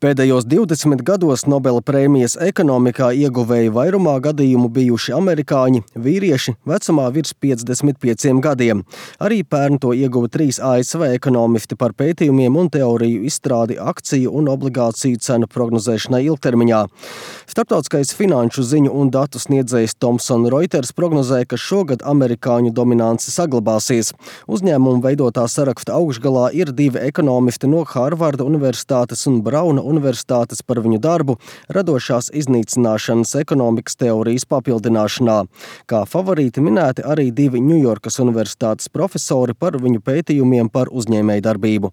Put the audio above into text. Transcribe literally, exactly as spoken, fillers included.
Pēdējos divdesmit gados Nobela prēmijas ekonomikā ieguvēji vairumā gadījumu bijuši amerikāņi, vīrieši vecumā virs piecdesmit pieciem gadiem. Arī pērn to ieguva trīs A S V ekonomisti par pētījumiem un teoriju izstrādi akciju un obligāciju cenu prognozēšanai ilgtermiņā. Starptautiskais finanšu ziņu un datu sniedzējs Thomson Reuters prognozēja, ka šogad amerikāņu dominance saglabāsies. Uzņēmumu veidotā saraksta augšgalā ir divi ekonomisti no Harvarda Universitātes un Brauna Universitātes par viņu darbu radošās iznīcināšanas ekonomikas teorijas papildināšanā. Kā favorīti minēti arī divi Ņujorkas Universitātes profesori par viņu pētījumiem par uzņēmējdarbību.